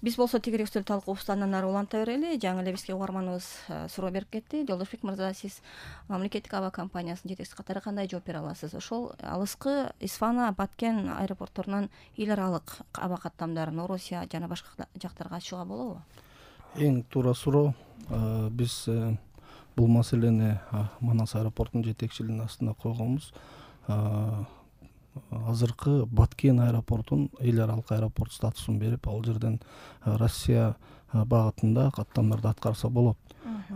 Биз болсо тегерек үстөл талкуубузду андан ары уланта берели. Жаңы эле бизге угарманыбыз суроо берип кетти. Жолдошбек мырза, сиз мамлекеттик аба компаниясынын жетекчиси катары кандай жооп бере аласыз? Ошол алыскы Исфана, Баткен аэропортторунан эл аралык аба каттамдарын Орусия жана башка жактарга ачууга болобу? Эң туура суроо. Биз бул маселени Манас аэропортунун жетекчилигинин астына койгонбуз. Азыркы Баткен аэропортунун эл аралык аэропорт статусун берип, ал жерден Россия багытында каттамдарды аткарса болот.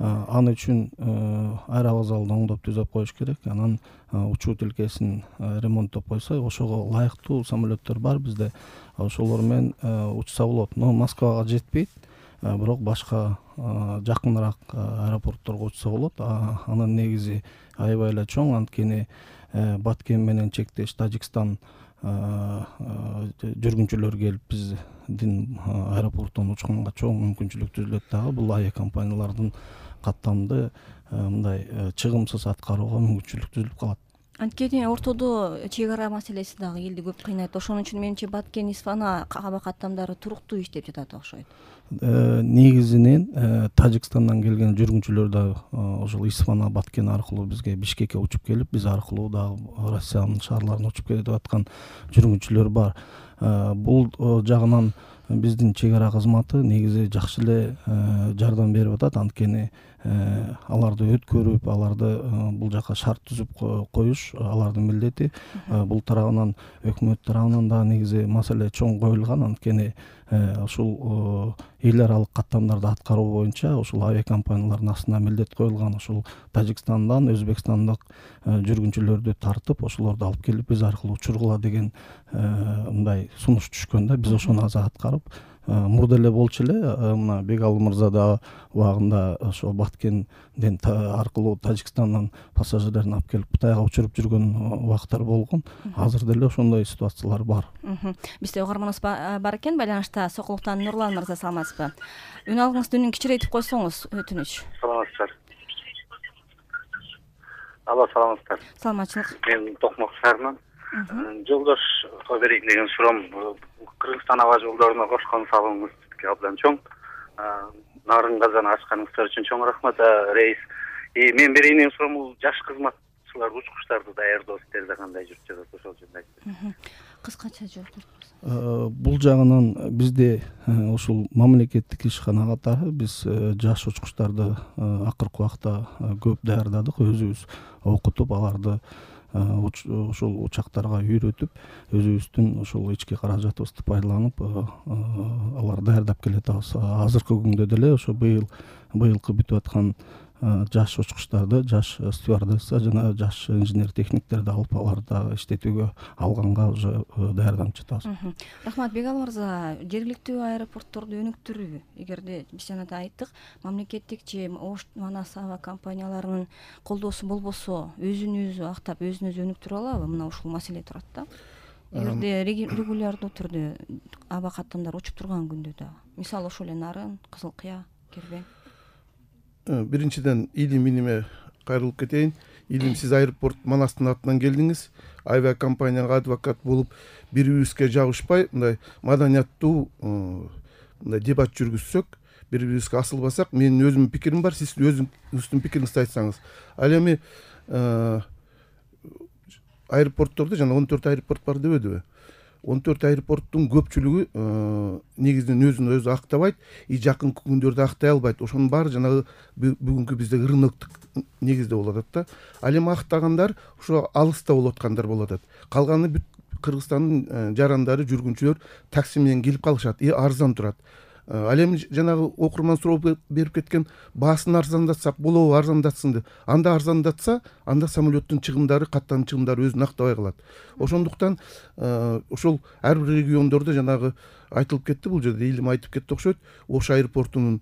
Аны үчүн аэровокзалды оңдоп түзөп коюш керек. Анан учуу тилкесин ремонттоп койсо, ошого ылайыктуу самолеттер бар бизде. Ошолор менен учса болот. Но Москвага жетпейт. Бирок башка жакыныраак аэропортторго учса болот. Анын негизи аябай эле чоң, анткени Баткен менен чектеш Тажикстан жүргүнчүлөр келип биздин аэропорттон учканга чоң мүмкүнчүлүк түзүлөт дагы. Бул авиакомпаниялардын каттамды мындай чыгымсыз аткарууга мүмкүнчүлүк түзүлүп калат. Анткени ортодо чек ара маселеси дагы элди көп кыйнайт. Ошон үчүн менимче Баткен, Исфана аба каттамдары туруктуу иштеп жатат окшойт. Негизинен Тажикстандан келген жүргүнчүлөр да ошол Исфана, Баткен аркылуу бизге Бишкекке учуп келип, биз аркылуу дагы Россиянын шаарларына учуп кетип аткан жүргүнчүлөр бар. Бул жагынан биздин чек ара кызматы негизи жакшы эле жардам берип атат. Анткени аларды өткөрүп, аларды бул жака шарт түзүп коюш алардын милдети. Бул тарабынан өкмөт тарабынан да негизи маселе чоң коюлган. Анткени ушул эл аралык каттамдарды аткаруу боюнча ушул авиакомпаниялардын астына милдет коюлган. Ушул Тажикстандан, Өзбекстандык жүргүнчүлөрдү тартып, ошолорду алып келип биз аркылуу учургула деген мындай сунуш түшкөн да. Биз ошону азыр аткарып, мурда эле болчу эле. Мына Бегалы мырза да убагында ошо Баткенден аркылуу Тажикстандан пассажирлерин алып келип Кытайга учуруп жүргөн убакыттар болгон. Азыр деле ошондой ситуациялар бар. Бизде угарманыбыз бар экен, байланышта Сокулуктан Нурлан мырза, саламатсызбы? Үн алгыңызды үнүн кичирейтип койсоңуз өтүнүч. Саламатсыздар. Алло, саламатсыздар. Саламатчылык. Мен Токмок шаарынан. Жолдошко берейин деген суроом, Кыргызстан аба жолдоруна кошкон салымыңыз абдан чоң. Нарын казаны ачканыңыздар үчүн чоң рахмат. Рейс. Мен берейин деген суроом, бул жаш кызматчылар, учкучтарды даярдоо сиздерде кандай жүрүп жатат, ошол жөнүндө айтыңыз. Кыскача жооп бериңиз. Бул жагынан бизде ушул мамлекеттик ишкана катары биз жаш учкучтарды акыркы убакта көп даярдадык, өзүбүз окутуп, аларды ушул учактарга үйрөтүп, өзүбүздүн ушул ички каражатыбызды пайдаланып алар даярдап келатабыз. Азыркы күндө деле ошо быйылкы бүтүп аткан жаш учкучтарды, жаш стюардесса жана жаш инженер техниктерди алып, аларды иштетүүгө алганга уже даярданып жатабыз. Рахмат. Бегалы мырза, жергиликтүү аэропортторду өнүктүрүү, эгерде биз жанагы айттык, мамлекеттик же Ош Манас аба компанияларынын колдоосу болбосо, өзүн-өзү актап, өзүн-өзү өнүктүрө алабы? Мына ушул маселе турат да. Эгерде регулярдуу түрдө аба каттамдар учуп турган күндө да, мисалы ошол эле Нарын, Кызыл Кыя, Кербен. Биринчиден илим кайрылып кетейин. Илим, сиз аэропорт Манастын атынан келдиңиз. Авиакомпанияга адвокат болуп, бири-бирибизге жабышпай, мындай маданияттуу мындай дебат жүргүзсөк, бири-бирибизге асылбасак, менин өзүмдүн пикирим бар, сиз өзүңүздүн пикириңизди айтсаңыз. Ал эми аэропорттордо жана 14 аэропорт бар дебедиби? 14 аэропорттун көпчүлүгү негизинен өзүн өзү актабайт, жакынкы күндөрдө актай албайт. Ошонун баары жанагы бүгүнкү биздеги рыноктук негизде болуп атат да. Ал эми актагандар ошо алыста болуп аткандар болуп атат. Калганы бүт Кыргызстандын жарандары, жүргүнчүлөр такси менен келип калышат, арзан турат. Ал эми жанагы окурман суроо берип кеткен, баасын арзандатсак болобу, арзандатсын деп. Анда арзандатса, анда самолеттун чыгымдары, каттанын чыгымдары өзүн актабай калат. Ошондуктан ошол ар бир региондордо жанагы айтылып кетти, бул жерде Илим айтып кетти окшойт. Ош аэропортунун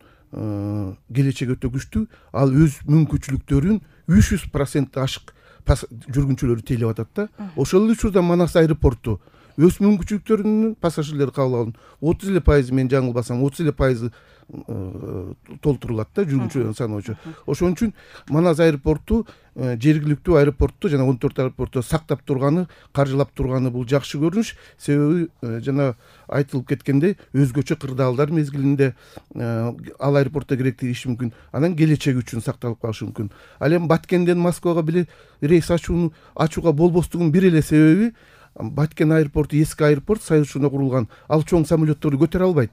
келечеги өтө күчтүү. Ал өз мүмкүнчүлүктөрүн 300% ашык жүргүнчүлөрү тейлеп атат да. Ошол эле учурда Манас аэропорту өз мүмкүнчүлүктөрүнүн пассажирлери кабыл алган 30% мен жаңылбасам 30% толтурулат да жүргүнчүлөрдүн саны боюнча. Ошон үчүн Манас аэропорту жергиликтүү аэропорту жана 14 аэропорту сактап турганы, каржылап турганы бул жакшы көрүнүш. Себеби жана айтылып кеткендей өзгөчө кырдаалдар мезгилинде ал аэропортто керектүү иши мүмкүн. Анан келечеги үчүн сакталып калышы мүмкүн. Ал эми Баткенден Москвага бир рейс ачууга болбостугунун бир эле себеби Баткен аэропорту эски аэропорт, Союз учурунда курулган. Ал чоң самолетторду көтөрө албайт.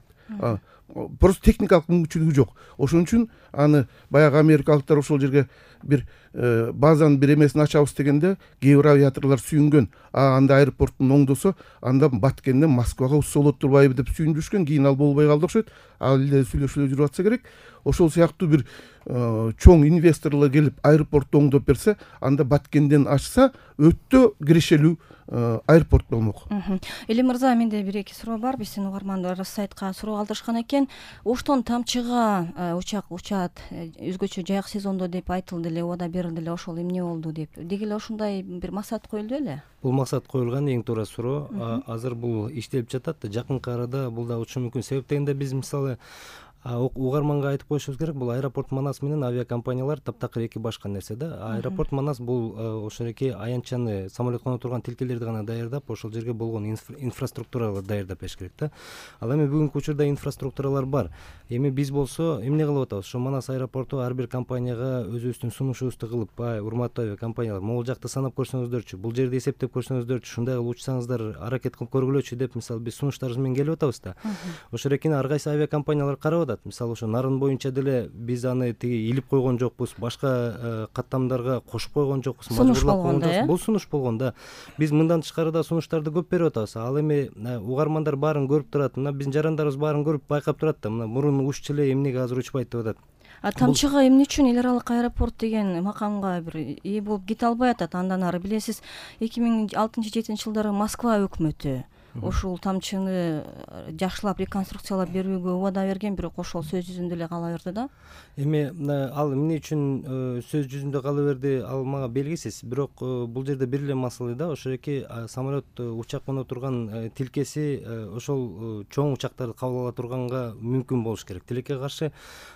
Просто техникалык мүмкүнчүлүгү жок. Ошон үчүн аны баягы америкалыктар ошол жерге бир базанын бир эмесин ачабыз дегенде кээ бир авиаторлор сүйүнгөн. Анда аэропорттун оңдосо, анда Баткенден Москвага учса болот турбайбы деп сүйүндүрүшкөн. Кийин ал болбой калды окшойт. Ал эле сүйлөшүүлөр жүрүп атса керек. Ошол сыяктуу бир чоң инвесторлор келип аэропортту оңдоп берсе, анда Баткенден ачса өтө кирешелүү аэропорт болмок. Эли мырза, менде бир эки суроо бар. Биздин угармандар сайтка суроо калтырышкан экен. Оштон Тамчыга учак учат өзгөчө жайык сезондо деп айтылды эле, убада берилди эле. Ошол эмне болду деп. Деги эле ошондой бир максат коюлду эле? Бул максат коюлган, эң туура суроо. Азыр бул иштелип жатат. Жакынкы арада бул да учушу мүмкүн. Себеп дегенде биз мисалы угарманга айтып коюшубуз керек, бул аэропорт Манас менен авиакомпаниялар таптакыр эки башка нерсе да. Аэропорт Манас бул ошол эки аянтчаны, самолет коно турган тилкелерди гана даярдап, ошол жерге болгон инфраструктураларды даярдап бериш керек да. Ал эми бүгүнкү учурда инфраструктуралар бар. Эми биз болсо эмне кылып атабыз? Ошо Манас аэропорту ар бир компанияга өзүбүздүн сунушубузду кылып, урматтуу авиакомпаниялар, могул жакты санап көрсөңүздөрчү, бул жерди эсептеп көрсөңүздөрчү, ушундай кылып учсаңыздар, аракет кылып көргүлөчү деп мисалы биз сунуштарыбыз менен келип атабыз да. Ошол экени ар кайсы авиакомпаниялар карап атат. Мисалы ошо нарын боюнча деле биз аны тиги илип койгон жокпуз, башка каттамдарга кошуп койгон жокпуз, мажбурлап койгон жокпуз. Бул сунуш болгон да. Биз мындан тышкары да сунуштарды көп берип атабыз. Ал эми угармандар баарын көрүп турат. Мына биздин жарандарыбыз баарын көрүп байкап турат да. Мына мурун уччу эле, эмнеге азыр учпайт деп атат. Тамчыга эмне үчүн эл аралык аэропорт деген макамга бир ээ болуп кете албай атат? Андан ары билесиз, 2006-2007 жылдары Москва өкмөтү ушул Тамчыны жакшылап реконструкциялап берүүгө убада берген, бирок ошол сөз жүзүндө эле кала берди да. Эми ал эмне үчүн сөз жүзүндө кала берди, ал мага белгисиз. Бирок бул жерде бир эле маселе да, ошол эки самолет, учак коно турган тилкеси ошол чоң учактарды кабыл ала турганга мүмкүн болуш керек. Тилекке каршы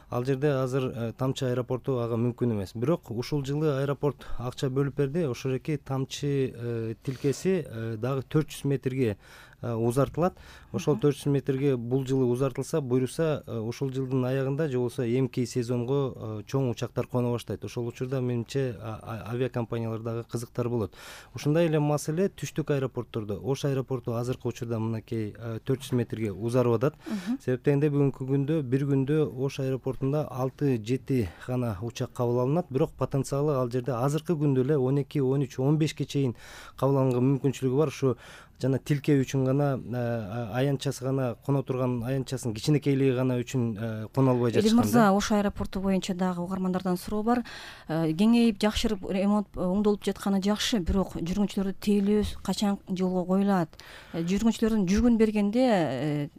ал жерде азыр Тамчы аэропорту ага мүмкүн эмес. Бирок ушул жылы аэропорт акча бөлүп берди. Ошол эки Тамчы тилкеси дагы 400 метрге узартылат. Ошол 400 метрге бул жылы узартылса, буйруса, ушул жылдын аягында же болбосо эмки сезонго чоң учактар коно баштайт. Ошол учурда менимче авиакомпаниялардагы кызыктар болот. Ушундай эле маселе түштүк аэропорттордо. Ош аэропорту азыркы учурда мынакей 400 метрге узарып атат. Себеп дегенде бүгүнкү күндө бир күндө Ош аэропортунда 6-7 гана учак кабыл алынат, бирок потенциалы ал жерде азыркы күндө эле 12, 13, 15ке чейин кабыл алынга мүмкүнчүлүгү бар. Ушу жана тилке үчүн гана, аянтчасы гана коно турган аянтчасынын кичинекейлиги гана үчүн коно албай жатышкан. Эли мырза, Ош аэропорту боюнча дагы угармандардан суроо бар. Кеңейип, жакшырып, ремонт оңдолуп жатканы жакшы, бирок жүргүнчүлөрдү тейлөө качан жолго коюлат? Жүргүнчүлөрдүн жүгүн бергенде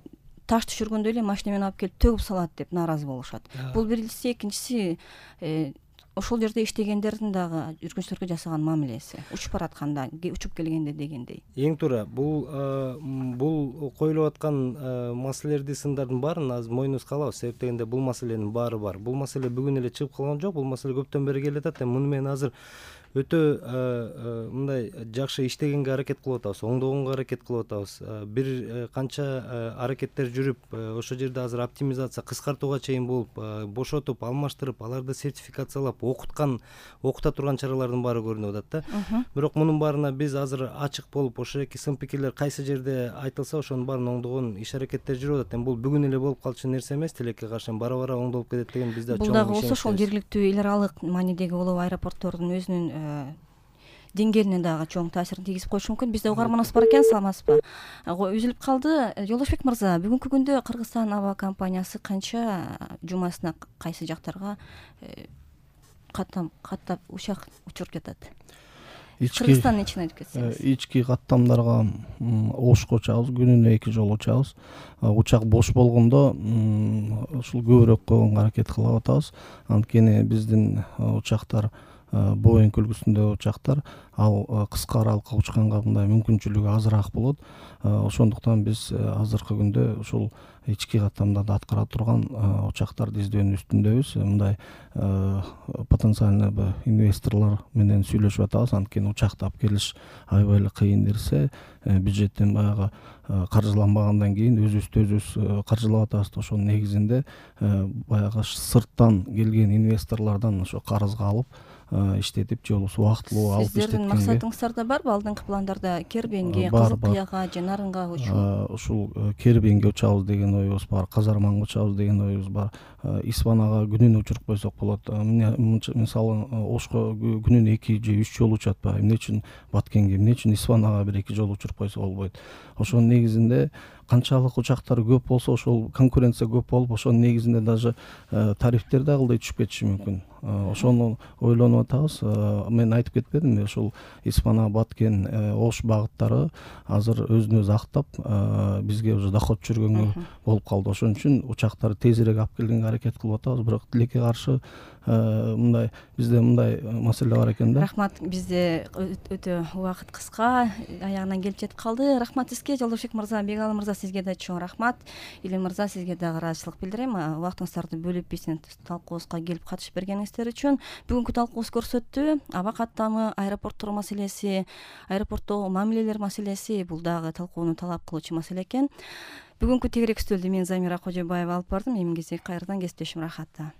таш түшүргөндөй эле машина менен алып келип төгүп салат деп нааразы болушат. Бул биринчиси, экинчиси ошол жерде иштегендердин дагы жүргүнчүлөргө жасаган мамилеси, учуп баратканда, учуп келгенде дегендей. Эң туура, бул коюлуп аткан маселелерди, сындардын баарын азыр мойнубузга алабыз. Себеп дегенде бул маселенин баары бар. Бул маселе бүгүн эле чыгып калган жок. Бул маселе көптөн бери келатат. Муну менен азыр өтө мындай жакшы иштегенге аракет кылып атабыз, оңдогонго аракет кылып атабыз. Бир канча аракеттер жүрүп, ошол жерде азыр оптимизация, кыскартууга чейин болуп, бошотуп, алмаштырып, аларды сертификациялап, окута турган чаралардын баары көрүнүп атат да. Бирок мунун баарына биз азыр ачык болуп, ошол эки сын пикирлер кайсы жерде айтылса, ошонун баарын оңдогон иш аракеттер жүрүп атат. Эми бул бүгүн эле болуп калчу нерсе эмес, тилекке каршы бара-бара оңдолуп кетет деген бизде чоң ишенич. Бул дагы болсо ошол жергиликтүү эл аралык маанидеги улуу аэропорттордун өзүнүн деңгээлине дагы чоң таасирин тийгизип коюшу мүмкүн. Бизде угарманыбыз бар экен, саламатсызбы? Үзүлүп калды. Жолдошбек мырза, бүгүнкү күндө Кыргызстан аба компаниясы канча жумасына кайсы жактарга каттап учак учуруп жатат? Кыргызстандын ичине айтып кетсеңиз. Ички каттамдарга Ошко учабыз, күнүнө 2 жолу учабыз. Учак бош болгондо ушул көбүрөөк койгонго аракет кылып атабыз. Анткени биздин учактар Боинг үлгүсүндөгү учактар ал кыска аралыкка учканга мындай мүмкүнчүлүгү азыраак болот. Ошондуктан биз азыркы күндө ушул ички каттамдарды аткара турган учактарды издөөнүн үстүндөбүз. Мындай потенциальный инвесторлор менен сүйлөшүп атабыз. Анткени учакты алып келиш аябай эле кыйын нерсе. Бюджеттен баягы каржыланбагандан кийин өзүбүздү өзүбүз каржылап атабыз. Ошонун негизинде баягы сырттан келген инвесторлордон ошо карызга алып иштетип же болбосо убактылуу алып иштеткенге. Сиздердин максатыңыздарда барбы алдыңкы пландарда Кербенге, Кызыл Кыяга же Нарынга учуу? Ушул Кербенге учабыз деген оюбуз бар, Казарманга учабыз деген оюбуз бар. Исфанага күнүнө учуруп койсок болот. Мисалы Ошко күнүнө 2 же 3 жолу учатпайбы? Эмне үчүн Баткенге, эмне үчүн Исфанага 1-2 жолу учуруп койсо болбойт? Ошонун негизинде канчалык учактар көп болсо, ошол конкуренция көп болуп, ошонун негизинде даже тарифтер да кылдай түшүп кетиши мүмкүн. Ошону ойлонуп атабыз. Мен айтып кетпедимби, ушул Исфана, Баткен, Ош багыттары азыр өзүн өзү актап, бизге уже доход жүргөнгө болуп калды. Ошон үчүн учактарды тезирээк алып келгенге аракет кылып атабыз. Бирок тилекке каршы мындай бизде мындай маселе бар экен да. Рахмат. Бизде өтө убакыт кыска, аягына келип жетип калды. Рахмат сизге, Жолдошбек мырза, Бегалы мырза, сизге да чоң рахмат. Илим мырза, сизге дагы ыраазычылык билдирем. Убактыңыздарды бөлүп биздин талкуубузга келип катышып бергениңиздер үчүн. Бүгүнкү талкуубуз көрсөттү, аба каттамы, аэропорттор маселеси, аэропорттогу мамилелер маселеси бул дагы талкууну талап кылуучу маселе экен. Бүгүнкү тегерек стөлдү мен Замира Кожобаева алып бардым. Эмгизи кайрадан кесиптешим Рахатта.